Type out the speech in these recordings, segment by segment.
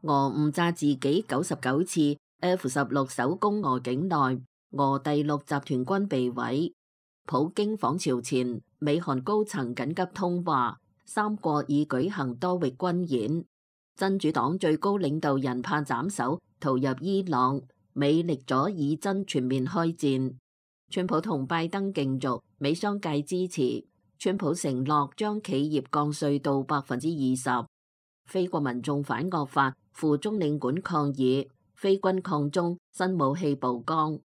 俄誤炸自己99次 F-16首攻俄境內，俄第6集團軍被毀。普京訪朝前，美韓高層緊急通話，三國已舉行多域軍演。真主黨最高領導人怕斬首，逃入伊朗，美力阻以真全面開戰。川普同拜登競逐，美商界支持。川普承諾將企業降稅到20%。非國民眾反惡法，赴中領館抗議。非軍抗中，新武器曝光。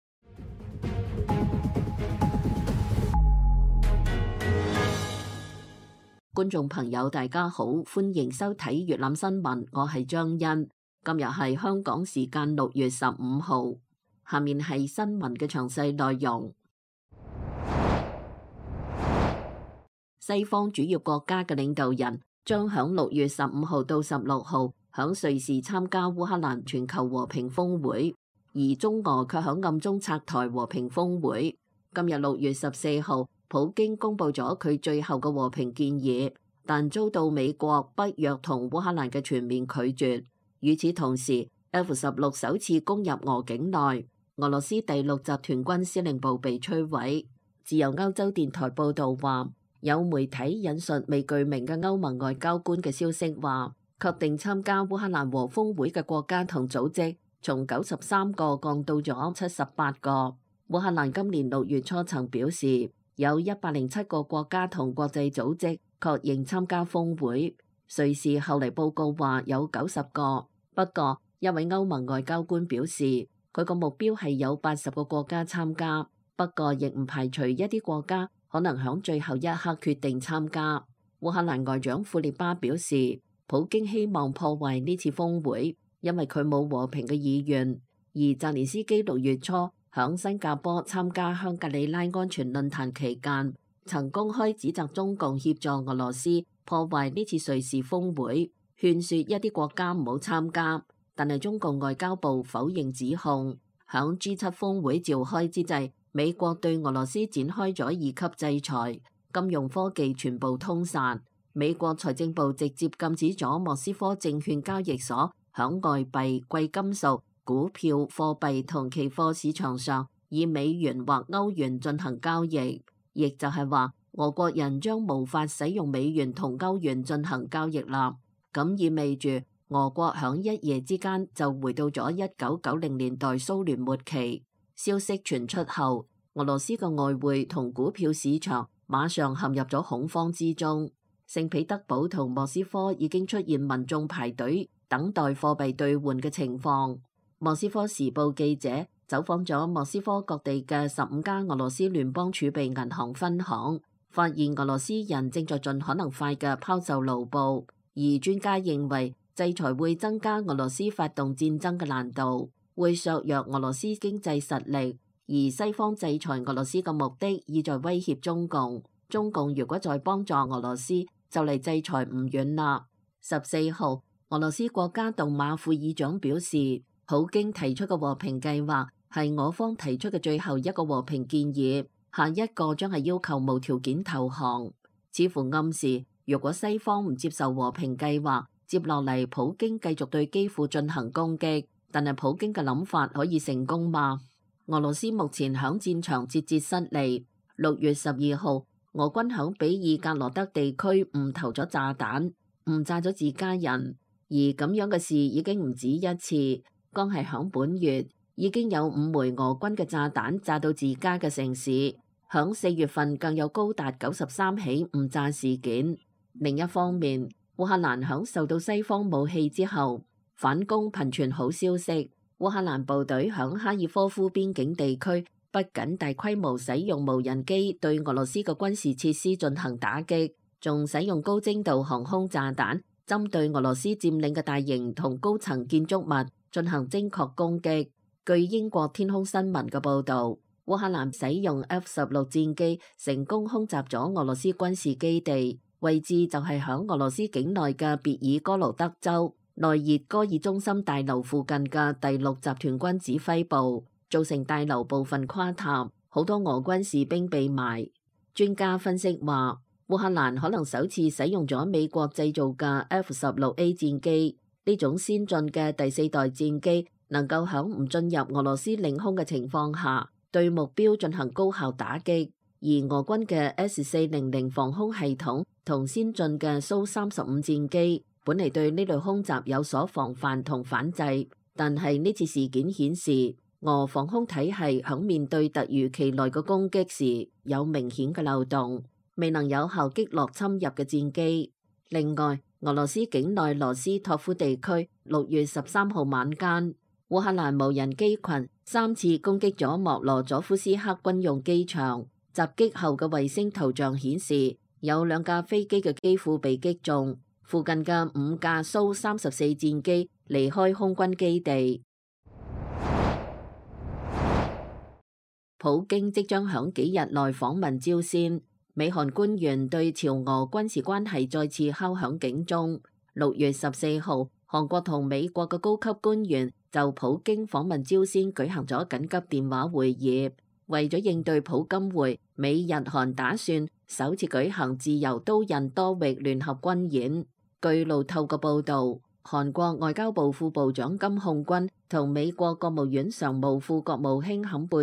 觀眾朋友大家好，歡迎收睇粵覽新聞，我係張欣。今日係香港時間6月15號，下面係新聞嘅詳細內容。西方主要國家嘅領導人將響6月15號到16號響瑞士參加烏克蘭全球和平峰會，而中俄卻響暗中拆台和平峰會。今日6月14號，普京公布咗佢最後嘅和平建議，但遭到美國、北約同烏克蘭嘅全面拒絕。與此同時 ，F-16首次攻入俄境內，俄羅斯第6集團軍司令部被摧毀。自由歐洲電台報導話，有媒體引述未具名嘅歐盟外交官嘅消息話，確定參加烏克蘭和峰會嘅國家同組織從93個降到咗78個。烏克蘭今年6月初曾表示，有107個國家同國際組織確認參加峰會。瑞士後嚟報告話有90個，不過一位歐盟外交官表示，佢個目標係有80個國家參加，不過亦唔排除一啲國家可能響最後一刻決定參加。烏克蘭外長庫列巴表示，普京希望破壞呢次峰會，因為佢冇和平嘅意願。而澤連斯基6月初響新加坡參加香格里拉安全論壇期間，曾公開指責中共協助俄羅斯破壞呢次瑞士峰會，勸說一啲國家唔好參加。但係中共外交部否認指控。響 G7 峰會召開之際，美國對俄羅斯展開咗2級制裁，金融科技全部通殺。美國財政部直接禁止咗莫斯科證券交易所響外幣、貴金屬、股票、貨幣同期貨市場上以美元或歐元進行交易，亦就係話俄國人將無法使用美元同歐元進行交易啦。咁意味住俄國響一夜之間就回到咗1990年代蘇聯末期。消息傳出後，俄羅斯嘅外匯同股票市場馬上陷入咗恐慌之中。聖彼得堡同莫斯科已經出現民眾排隊等待貨幣兌換嘅情況。莫斯科時報記者走訪咗莫斯科各地嘅15家俄羅斯聯邦儲備銀行分行，發現俄羅斯人正在盡可能快嘅拋售盧布。而專家認為，制裁會增加俄羅斯發動戰爭嘅難度，會削弱俄羅斯經濟實力。而西方制裁俄羅斯嘅目的，意在威脅中共。中共如果再幫助俄羅斯，就嚟制裁唔遠啦。14號，俄羅斯國家杜馬副議長表示，普京提出嘅和平計劃係我方提出嘅最後一個和平建議，下一個將係要求無條件投降。似乎暗示，如果西方唔接受和平計劃，接落嚟普京繼續對基輔進行攻擊。但係普京嘅諗法可以成功嗎？俄羅斯目前響戰場節節失利。6月12號，俄軍響比爾格羅德地區誤投咗炸彈，誤炸咗自家人。而咁樣嘅事已經唔止一次，剛係響本月已經有5枚俄軍嘅炸彈炸到自家嘅城市。響4月份更有高達93起誤炸事件。另一方面，烏克蘭響受到西方武器之後，反攻頻傳好消息。烏克蘭部隊響哈爾科夫邊境地區不僅大規模使用無人機對俄羅斯嘅軍事設施進行打擊，仲使用高精度航空炸彈針對俄羅斯佔領嘅大型同高層建築物進行精確攻擊。據英國天空新聞嘅報導，烏克蘭使用 F-16戰機成功空襲咗俄羅斯軍事基地，位置就係響俄羅斯境內嘅別爾哥羅德州內熱戈爾中心大樓附近嘅第6集團軍指揮部，造成大樓部分垮塌，好多俄軍士兵被埋。專家分析話，烏克蘭可能首次使用咗美國製造嘅 F-16A 戰機，呢種先進嘅第4代戰機能夠喺唔進入俄羅斯領空嘅情況下，對目標進行高效打擊。而俄軍嘅 S-400防空系統同先進嘅蘇35戰機，本嚟對呢類空襲有所防範同反制，但係呢次事件顯示，俄防空體系喺面對突如其來嘅攻擊時有明顯嘅漏洞，未能有效擊落侵入嘅戰機。另外，俄羅斯境內羅斯托夫地區6月13號晚間，烏克蘭無人機群3次攻擊咗莫羅佐夫斯克軍用機場。襲擊後嘅衛星圖像顯示，有2架飛機嘅機庫被擊中，附近嘅5架蘇34戰機離開空軍基地。普京即將響幾日內訪問朝鮮，美韓官員對朝俄軍事關係再次敲響警鐘。6月14號，韓國同美國嘅高級官員就普京訪問朝鮮舉行咗緊急電話會議。為咗應對普金會，美日韓打算首次舉行自由刀刃多域聯合軍演。據路透嘅報導，韓國外交部副部長金漢均同美國國務院常務副國務卿坎貝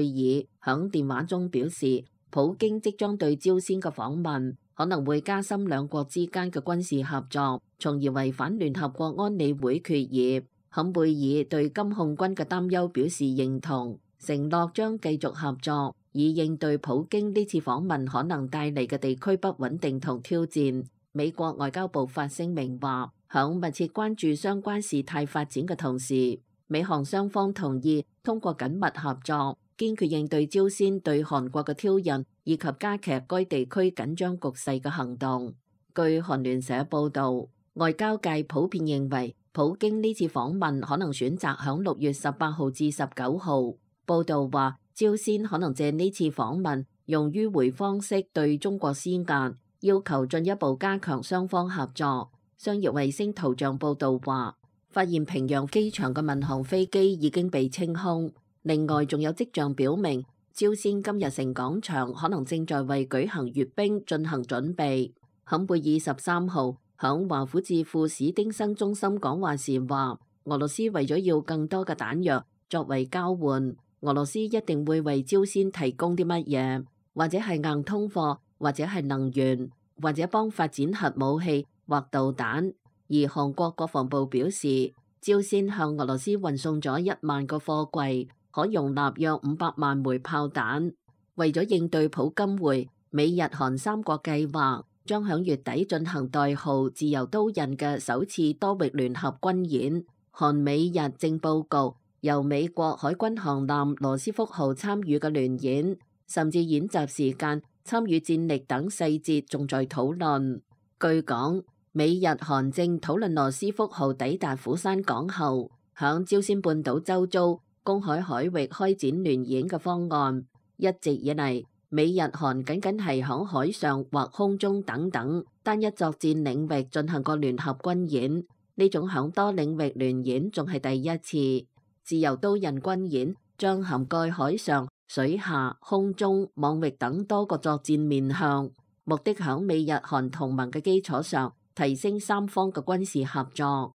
爾響電話中表示，普京即將對朝鮮嘅訪問可能會加深兩國之間嘅軍事合作，從而違反聯合國安理會決議。坎貝爾對金漢均嘅擔憂表示認同，承諾將繼續合作，以應對普京呢次訪問可能帶嚟嘅地區不穩定同挑戰。美國外交部發聲明話，響密切關注相關事態發展嘅同時，美韓雙方同意通過緊密合作，堅決應對朝鮮對韓國嘅挑釁，以及加劇該地區緊張局勢嘅行動。據韓聯社報導，外交界普遍認為，普京呢次訪問可能選擇響6月18號至19號。報道話，朝鮮可能借呢次訪問用迂迴方式對中國施壓，要求進一步加強雙方合作。商業衛星圖像報導話，發現平壤機場嘅民航飛機已經被清空。另外，仲有跡象表明，朝鮮金日成廣場可能正在為舉行閱兵進行準備。坎貝爾13號響華府智庫史丁生中心講話時話，俄羅斯為咗要更多嘅彈藥作為交換，俄羅斯一定會為朝鮮提供啲乜嘢，或者係硬通貨，或者係能源，或者幫發展核武器或導彈。而韓國國防部表示，朝鮮向俄羅斯運送咗1萬個貨櫃，可容納約500萬枚炮彈。為咗應對普金會，美日韓3國計劃將響月底進行代號自由刀刃嘅首次多域聯合軍演。韓美日正報告由美國海軍航艦羅斯福號參與嘅聯演，甚至演習時間、參與戰力等細節仲在討論。據講，美日韓正討論羅斯福號抵達釜山港後，響朝鮮半島周遭公海海域開展聯演嘅方案。一直以嚟，美日韓僅僅係響海上或空中等等單一作戰領域進行過聯合軍演，呢種響多領域聯演仲係第一次。自由刀刃軍演將涵蓋海上、水下、空中、網域等多個作戰面向，目的響美日韓同盟嘅基礎上提升三方嘅軍事合作。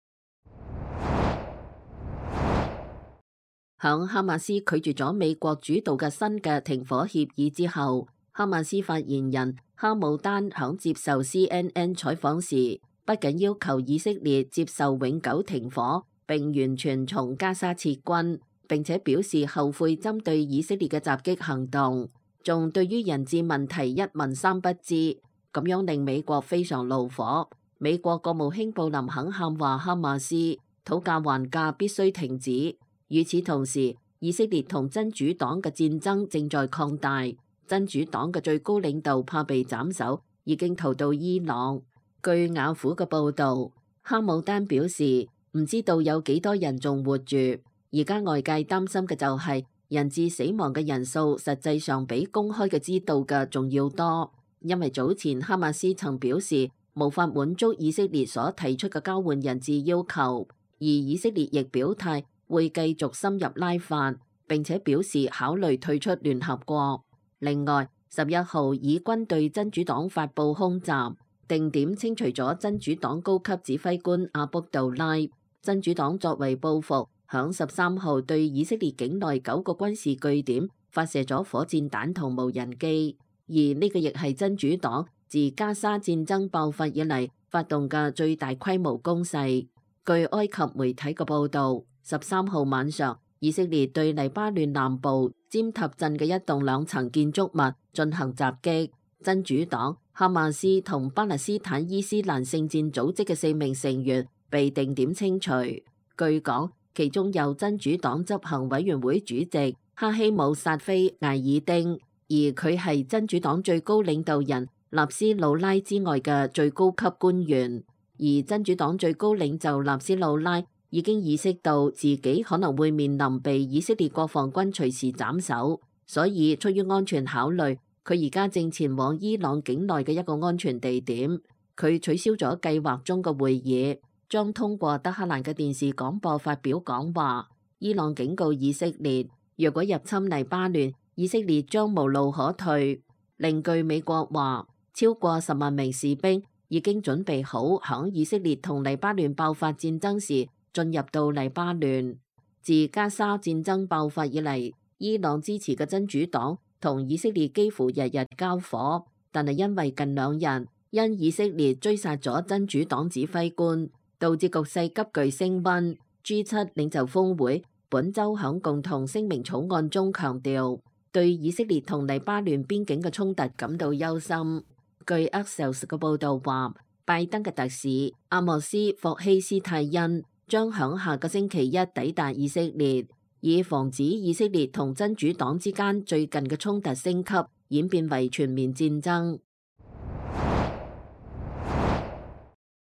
響哈馬斯拒絕咗美國主導嘅新嘅停火協議之後，哈馬斯發言人哈姆丹響接受 CNN 採訪時，不僅要求以色列接受永久停火，並完全從加沙撤軍，並且表示後悔針對以色列嘅襲擊行動，仲對於人質問題一問三不知，咁樣令美國非常怒火。美國國務卿布林肯喊話哈馬斯討價還價必須停止。與此同時，以色列同真主黨嘅戰爭正在擴大，真主黨嘅最高領導怕被斬首，已經逃到伊朗。據雅虎嘅報導，哈姆丹表示唔知道有幾多人仲活住，而家外界擔心嘅就係人質死亡嘅人數實際上比公開嘅知道嘅仲要多，因為早前哈馬斯曾表示無法滿足以色列所提出嘅交換人質要求，而以色列亦表態會繼續深入拉法，並且表示考慮退出聯合國。另外，11號以軍對真主黨發佈空襲，定點清除咗真主黨高級指揮官阿卜杜拉。真主黨作為報復，響13號對以色列境內9個軍事據點發射咗火箭彈同無人機，而呢個亦係真主黨自加沙戰爭爆發以嚟發動嘅最大規模攻勢。據埃及媒體嘅報導，13號晚上，以色列對黎巴嫩南部尖塔鎮嘅一棟2層建築物進行襲擊，真主黨、哈馬斯同巴勒斯坦伊斯蘭聖戰組織嘅4名成員被定點清除。據講，其中有真主黨執行委員會主席哈希姆薩菲艾爾丁，而佢係真主黨最高領導人納斯魯拉之外嘅最高級官員。而真主黨最高領袖納斯魯拉已經意識到自己可能會面臨被以色列國防軍隨時斬首，所以出於安全考慮，佢而家正前往伊朗境內嘅一個安全地點。佢取消咗計劃中嘅會議，將通過德黑蘭嘅電視廣播發表講話。伊朗警告以色列，若果入侵黎巴嫩，以色列將無路可退。另據美國話，超過10萬名士兵已經準備好響以色列同黎巴嫩爆發戰爭時進入到黎巴嫩。自加沙戰爭爆發以嚟，伊朗支持嘅真主黨同以色列幾乎日日交火，但係因為近2日因以色列追殺咗真主黨指揮官，導致局勢急劇升溫。G7 領袖峰會本週響共同聲明草案中強調，對以色列同黎巴嫩邊境嘅衝突感到憂心。據 Axios 嘅報導話，拜登嘅特使阿莫斯霍希斯泰恩將響下個星期一抵達以色列，以防止以色列同真主黨之間最近嘅衝突升級，演變為全面戰爭。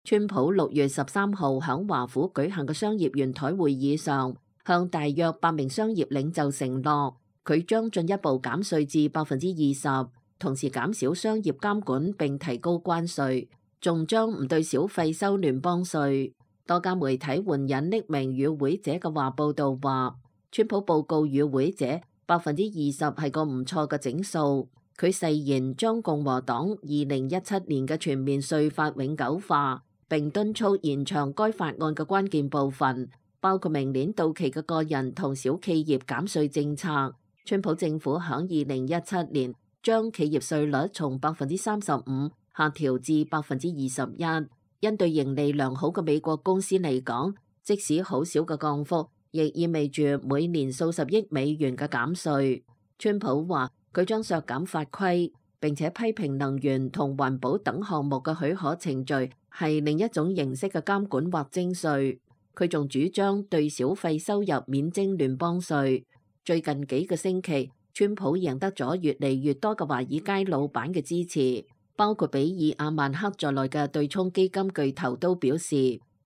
川普6月13號響華府舉行嘅商業圓台會議上，向大約8名商業領袖承諾，佢將進一步減稅至20%，同時減少商業監管並提高關稅，仲將唔對小費收聯邦稅。多家媒體援引匿名與會者嘅話報導話，川普報告與會者20%係個唔錯嘅整數。佢誓言將共和黨2017年嘅全面稅法永久化，並敦促延長該法案嘅關鍵部分，包括明年到期嘅個人同小企業減稅政策。川普政府響2017年將企業稅率從35%下調至21%。因對盈利良好嘅美國公司嚟講，即使好少嘅降幅，亦意味住每年數十億美元嘅減稅。川普話佢將削減法規，並且批評能源同環保等項目嘅許可程序係另一種形式嘅監管或徵稅。佢仲主張對小費收入免徵聯邦稅。最近幾個星期，川普贏得咗越嚟越多嘅華爾街老闆嘅支持。包括比爾·阿曼克在內嘅對沖基金巨頭都表示，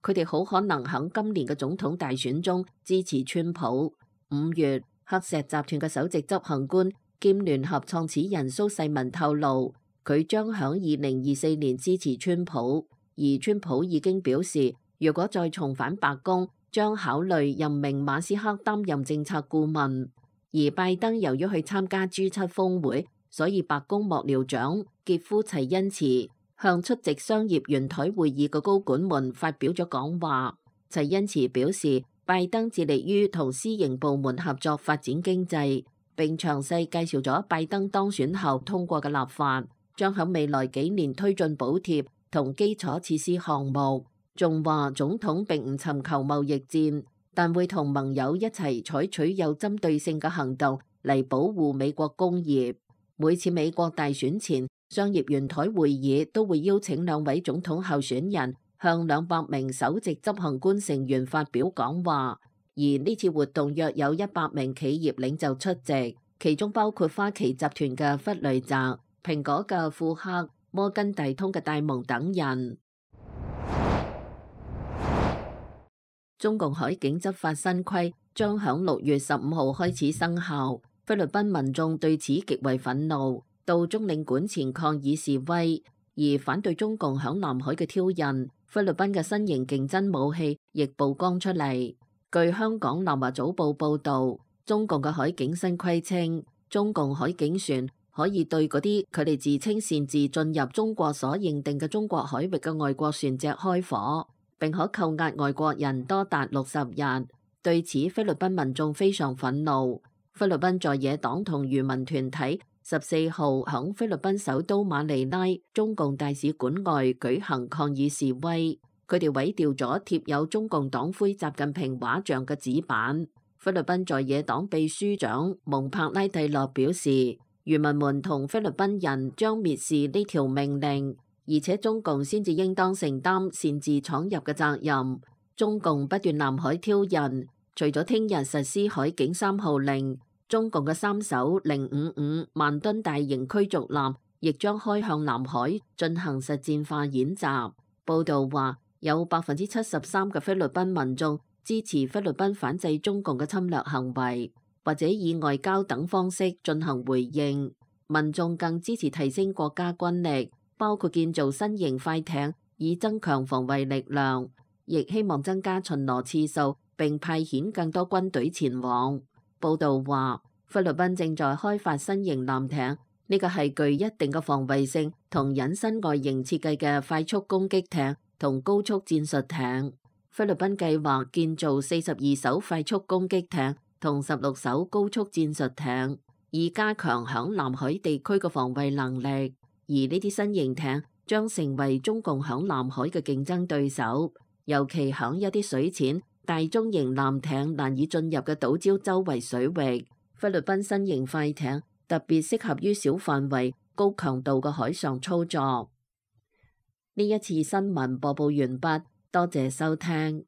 佢哋好可能喺今年嘅總統大選中支持川普。5月，黑石集團嘅首席執行官兼聯合創始人蘇世民透露，佢將喺2024年支持川普，而川普已經表示，如果再重返白宮，將考慮任命馬斯克擔任政策顧問。而拜登由於去參加 G7 峰會，所以白宮幕僚長傑夫齊恩茨向出席商業圓台會議嘅高管們發表咗講話。齊恩茨表示，拜登致力於同私營部門合作發展經濟，並詳細介紹咗拜登當選後通過嘅立法，將喺未來幾年推進補貼同基礎設施項目。仲話總統並唔尋求貿易戰，但會同盟友一齊採取有針對性嘅行動嚟保護美國工業。每次美國大選前，商業圓台會議都會邀請2位總統候選人向200名首席執行官成員發表講話，而呢次活動約有100名企業領袖出席，其中包括花旗集團嘅弗雷澤、蘋果嘅庫克、摩根大通嘅戴蒙等人。中共海警執法新規將響6月15號開始生效。菲律賓民眾對此極為憤怒，到中領館前抗議示威，而反對中共響南海嘅挑釁。菲律賓嘅新型競爭武器亦曝光出嚟。據香港南華早報報導，中共嘅海警新規稱，中共海警船可以對嗰啲佢哋自稱擅自進入中國所認定嘅中國海域嘅外國船隻開火，並可扣押外國人多達60日。對此，菲律賓民眾非常憤怒。菲律賓在野黨同漁民團體14號響菲律賓首都馬尼拉中共大使館外舉行抗議示威，佢哋毀掉咗貼有中共黨魁習近平畫像嘅紙板。菲律賓在野黨秘書長蒙帕拉蒂諾表示，漁民們同菲律賓人將蔑視呢條命令，而且中共先至應當承擔擅自闖入嘅責任。中共不斷南海挑釁，除咗聽日實施海警3號令，中共嘅3艘055萬噸大型驅逐艦亦將開向南海進行實戰化演習。報道話，有73%嘅菲律賓民眾支持菲律賓反制中共嘅侵略行為，或者以外交等方式進行回應。民眾更支持提升國家軍力，包括建造新型快艇以增強防衛力量，亦希望增加巡邏次數並派遣更多軍隊前往。報道話，菲律賓正在開發新型艦艇，呢個係具一定嘅防衛性同隱身外形設計嘅快速攻擊艇同高速戰術艇。菲律賓計劃建造42艘快速攻擊艇同16艘高速戰術艇，以加強響南海地區嘅防衛能力。而呢啲新型艇將成為中共響南海嘅競爭對手，尤其響一啲水淺、大中型艦艇難以進入嘅島礁周圍水域。菲律賓新型快艇特別適合於小範圍、高強度嘅海上操作。呢一次新聞播報完畢，多謝收聽。